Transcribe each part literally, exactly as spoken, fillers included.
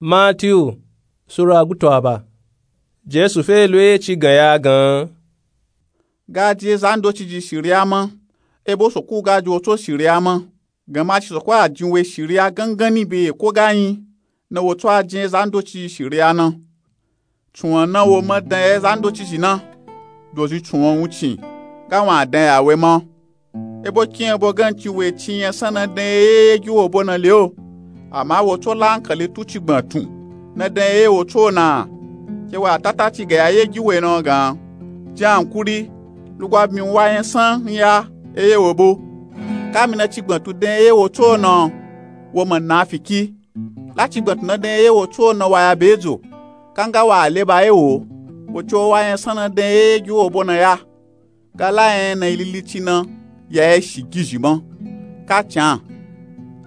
Matiyu sura gutu aba. Jesu fe lo ye ci gan ya gan. Ga jin ezandoci ji shiriya ma, ebo soko ga jin wo tso shiriya ma. Gan ma ci soko a jin wo shiriya gangani be eko ga yin, na wo tso a jin ezandoci ji shiriya na. Tsunwan na wo ma dan ya ezandoci ji na, dozi tsunwan wuncin ga wan dan ya we ma. Ebo kin ebo gan ci we ci yan san na dan ye ye gi wo bo na le o. Ama wo tso la ankali tu cigban tun na dan ye ye wo tso na. Ke wa tata ci ga ya ye gi we na gan. Jan ankuri, lugwa byin wa yan san nya ye ye wo bo. Ka mi na cigban tu dan ye ye wo tso na, wo ma na fiki. La cigban tu na dan ye ye wo tso na wa ya be dzo. Ka nga wa le ba ye wo, wo tso wa yan san na dan ye ye gi wo bo na ya. Ga la yan na ilili ci na ya ye shi gizhi ma. Ka can,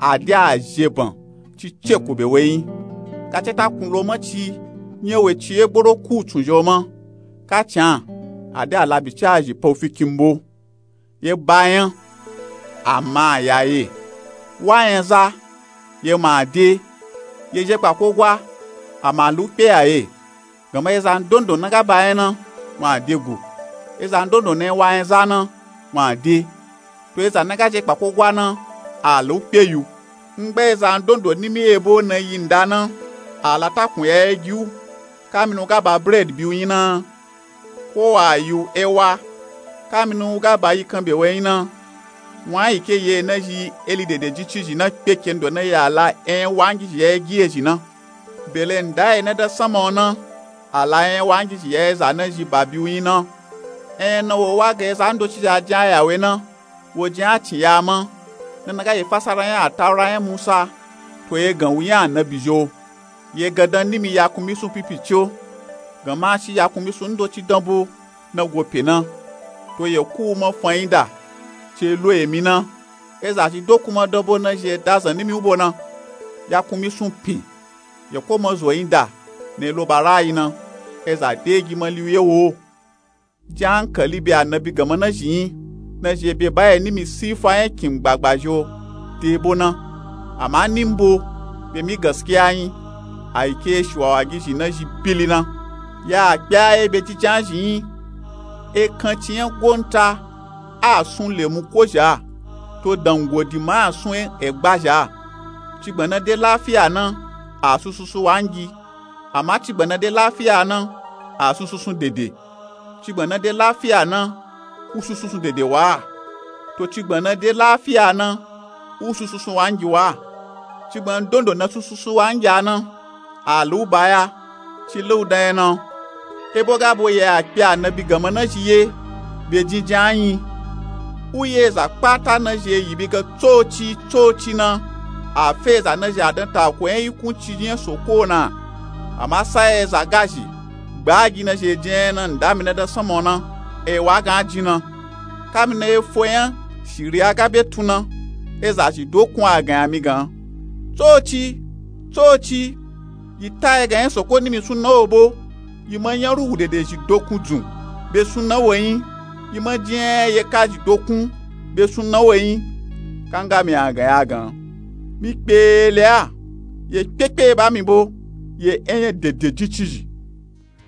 a de a zhe ban ci ce ku be we yin. Ka ce ta kun lo ma ci, nye we ci ye gboro ku tsun zhe o ma. Ka can, a de a labi ci a zhi pa u fi kin bo. Ye ba yan, ama ya ye. Wa yan za, ye ma de. Ye zhe kpa ko gwa, ama lu kpe ya ye. Gan ma ezan dondo na ga ba yan na, wan de gu. Ezan dondo na wa yan za na, wan de. To ezan na ga zhe kpa ko gwa na, a lu kpe yu. Ngba ezan dondo nimi ebo na yi nda na, a la ta kun ya ye gi u. Ka mi nu ga ba bread bi u yin na, ko wa yu ewa. Ka mi nu ga ba yi kan be we yin na, wan yi ke ye na zhi eli dede ji ci zhi na kpe ke ndo na ya la en wa ngi zhi ya ye gi ye zhi na. Bele nda ye na da sama o na, a la en wa ngi zhi ya ye za na zhi ba bi u yin na. En na wo wa ga ezandoci zhi a jin a ya we na, wo jin a cin ya ma. Na na ga ye fasara yan a taura yan Musa, to ye gan wu yan anabi zhi o. Ye gandan nimi yakun misun pipi ci o. Gan ma ci yakun misun ndoci dan bo na go pe na. To ye ku u ma fan yin da, ce lo emi na. Eza zhi dokun ma dan bo na zhi ye da zan nimi u bo na. Yakun misun pin, ye ko ma zo yin da, na ye lo ba ra yi na. Eza de gi ma li u ye wo. Jin ankali be anabi gan ma na zhi yin, na zhi ye be ba ye nimi sifa yan kin gbagba zhi o de bo na. Ama ni mbo be mi gaskiya yin, a yi ke ye shiwawa gi zhi na zhi bili na. Ya a kpe a ye be jijan zhi yin. Ekan ci yan gonta a sun lemu ko zha, to dangodi ma a sun egba zha. Cigban na de lafiya na, a sun sunsun wa ngi. Ama cigban na de lafiya na, a sun sunsun dede. Cigban na de lafiya na, u sun sunsun dede wa. To cigban na de lafiya na, u sun sunsun wa ngi wa. Cigban dondo na sun sunsun wa ngi a na, a lu ba ya, ci lu dan ye na. Ebo ga bo ye a kpe anabi gan ma na zhi ye be jinjin a yin. U ye eza kpata na zhi ye yi bi ga tsoci tsoci na, a fe eza na zhi a dan ta ko yan yi kun ci yan soko na. Ama sa ye eza ga zhi gba gi na zhi ye jin yan na nda mi na da sama o na, e wa gan a jin na. Ka mi na ye fo yan shiriya ga be tun na, eza zhi dokun a gan ya mi gan, tsoci tsoci, yi ta ye gan yan soko nimi sun na wo bo. Yi ma yan rugu dede zhi dokun dzun be sun na wo yin. Yi ma jin yan ye ka zhi dokun be sun na wo yin. Ka nga mi a gan ya gan, mi kpe le a, ye kpekpe ba mi bo, ye en yan dede jin ci zhi.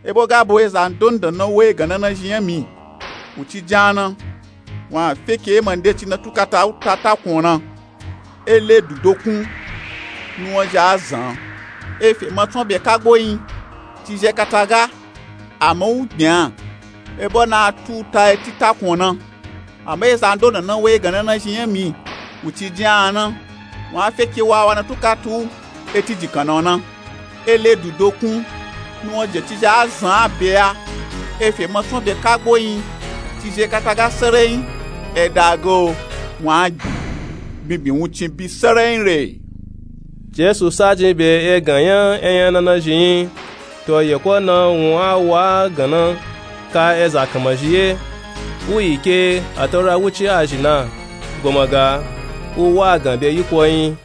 Ebo ga bo ezan dondo na wo ye gan na na zhi yan mi, u ci jan na. Wan a fe ke ye ma nde ci na tukata u ta takun o na. E le du dokun, nuwan zhi a zan. E fe ma tson be kagbo yin ci zhe kata ga, ama u gbin a. Ebo na a tu u ta eti takun o na. Ama ezan dondo na wo ye gan na na zhi yan mi, u ci jin a na. Wan a fe ke wawa na tukata u eti jikan na o na. E le du dokun, nuwan zhi ci zhe a zan a be a. E fe ma tson be kagbo yin ci zhe kata ga serein. E da ga o, wan a gbin, gbingbin wuncin bi serein re. Jesu sa jin be egan yan eyan na na zhi yin. To ye ko na wun a wa gan na ka eza kanma zhi ye. U yi ke ataura wuci a zhi na, goma ga u wa gan be yi ko yin.